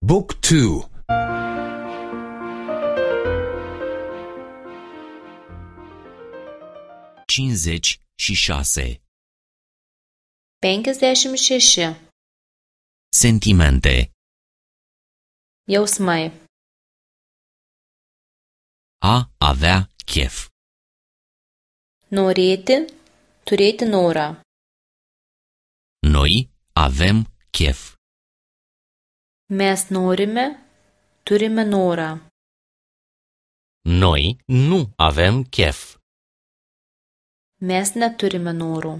Book 2. 56. 56. Sentimente. Jausmai. A avea chef. Norėti, turėti norą. Noi avem chef. Mes norime, turime norą. Noi nu avem chef. Mes neturime norų.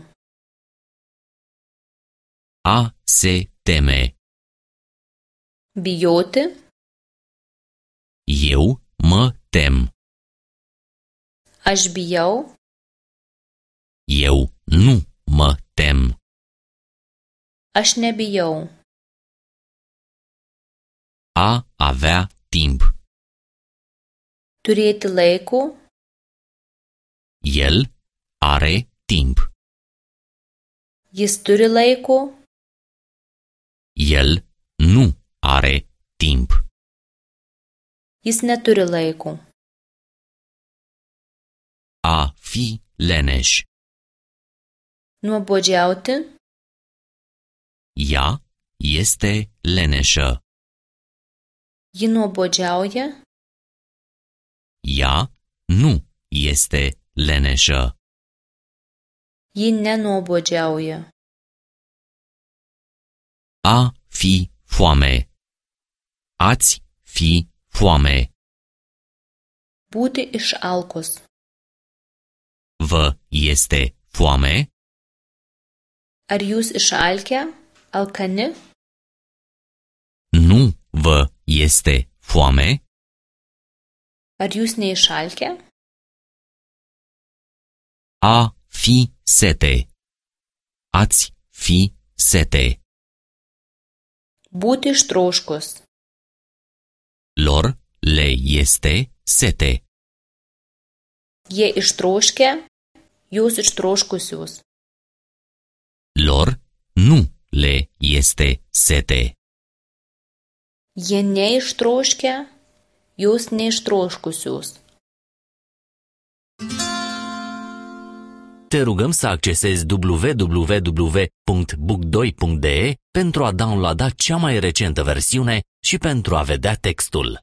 A se teme. Bijoti, Eu mă tem. aš bijau, Eu nu mă tem. aš nebijau. A avea timp. Turėti laiko, El are timp. jis turi laiko, El nu are timp. jis neturi laiko. A fi leneș. Nuobodžiauti, Ea este leneșă. ji nuobodžiauja, Ea nu este leneșă. ji nenuobodžiauja. A fi foame. Ați fi foame. Būti išalkus. Vă este foame? Ar jūs išalkę, alkani? Nu vă este foame? Ar jūs neišalkę? A fi sete. Ați fi sete. Būti ištroškus. Lor le este sete. Jie ištroškę, jūs ištroškusius. Lor nu le este sete. Jie neištroškę, jūs neištroškusius. Te rugăm să accesezi www.book2.de pentru a downloada cea mai recentă versiune și pentru a vedea textul.